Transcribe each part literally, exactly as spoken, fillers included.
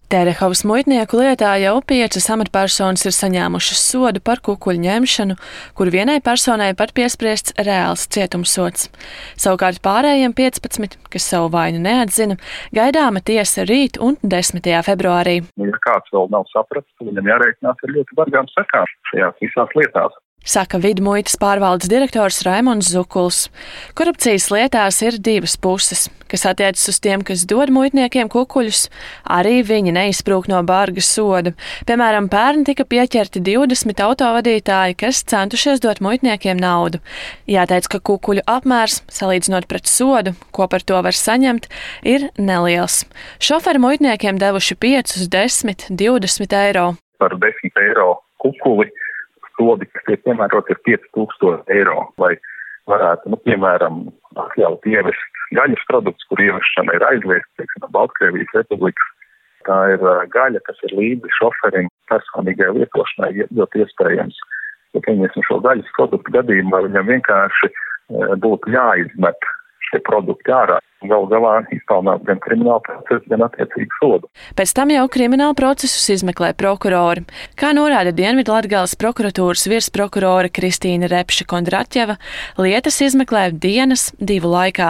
Terehovas muitnieku lietā jau piecas amatpersonas ir saņēmušas sodu par kukuļu ņemšanu, kur vienai personai pat piespriests reāls cietumsods. Savukārt pārējiem piecpadsmit, kas savu vainu neatzina, gaidāma tiesa rīt un desmitajā februārī. Ja kāds vēl nav sapratis, tad viņam jārēķinās ar ļoti bargām sekām šajās visās lietās. Saka Vidmuitas pārvaldes direktors Raimonds Zukuls. Korupcijas lietās ir divas puses, kas attiecas uz tiem, kas dod muitniekiem kukuļus, arī viņi neizsprūk no barga soda. Piemēram, pērn tika pieķerti divdesmit autovadītāji, kas centušies dot muitniekiem naudu. Jāteic, ka kukuļu apmērs, salīdzinot pret sodu, ko par to var saņemt, ir neliels. Šoferi muitniekiem devuši piecus, desmit, divdesmit eiro. Par desmit eiro kukuli sodi, kas tiek piemērot, ir pieci tūkstoši eiro, lai varētu, nu, piemēram, atļaut ievest gaļas produktus, kur ievešana ir aizliegta, teiksim, Baltkrievijas republikas. Tā ir gaļa, kas ir līdzi šoferim personīgai lietošanai, ļoti iespējams. Ja pieņemsim šo gaļas produktu gadījumā, viņam vienkārši būtu jāizmet šie produkti ārā. Galu galā izpelnāt gan kriminālu procesu, gan attiecīgu sodu. Pēc tam jau kriminālu procesus izmeklē prokurori. Kā norāda Dienvidlatgales prokuratūras virsprokurore Kristīna Repše-Kondraķeva, lietas izmeklē dienas divu laikā.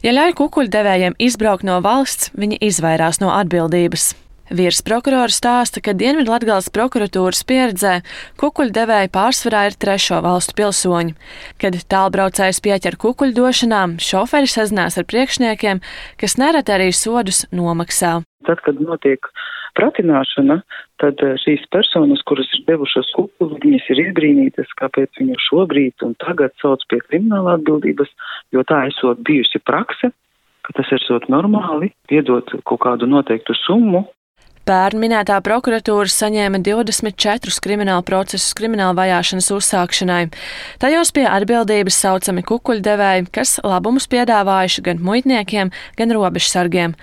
Ja ļauj kukuļdevējiem izbraukt no valsts, viņi izvairās no atbildības. Virsprokurori stāsta, ka Dienvidlatgales prokuratūras pieredzē kukuļdevēji pārsvarā ir trešo valstu pilsoņi. Kad tālbraucējs pieķer kukuļdošanām, šoferi sazinās ar priekšniekiem, kas nereti arī sodus nomaksā. Tad, kad notiek pratināšana, tad šīs personas, kuras ir devušas kukuli, viņas ir izbrīnītas, kāpēc viņu šobrīd un tagad sauc pie krimināla atbildības, jo tā esot bijusi prakse, ka tas esot normāli, piedot kaut kādu noteiktu summu. Pērn minētā prokuratūra saņēma divdesmit četrus kriminālu procesus krimināla vajāšanas uzsākšanai. Tajos pie atbildības saucami kukuļdevēji, kas labumus piedāvājuši gan muitniekiem, gan robežsargiem.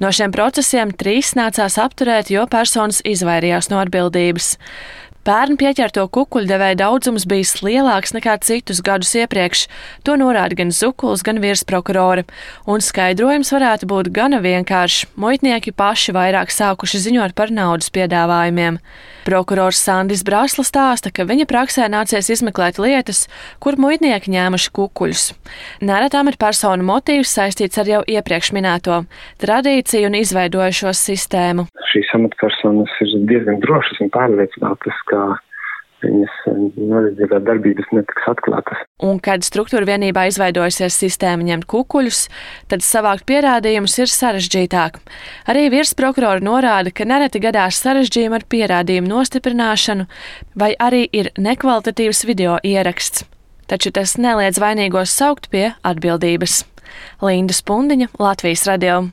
No šiem procesiem trīs nācās apturēt, jo personas izvairījās no atbildības. Pērn pieķerto kukuļdevēju daudzums bijis lielāks nekā citus gadus iepriekš. To norāda gan Zukuls, gan virsprokurori. Un skaidrojums varētu būt gana vienkāršs. Muitnieki paši vairāk sākuši ziņot par naudas piedāvājumiem. Prokurors Sandis Brasla stāsta, ka viņa praksē nācies izmeklēt lietas, kur muitnieki ņēmuši kukuļus. Nereti amatpersonu motīvs saistīts ar jau iepriekš minēto tradīciju un izveidojušo sistēmu. Šīs amatpersonas ir diezgan drošas un pārliecinātas, ka viņas noziedzīgā darbības netiks atklātas. Un, kad struktūra vienībā izveidojusies sistēma ņemt kukuļus, tad savākt pierādījumus ir sarežģītāk. Arī virsprokurori norāda, ka nereti gadās sarežģījumi ar pierādījumu nostiprināšanu, vai arī ir nekvalitatīvs video ieraksts. Taču tas neliedz vainīgos saukt pie atbildības. Linda Spundiņa, Latvijas radio.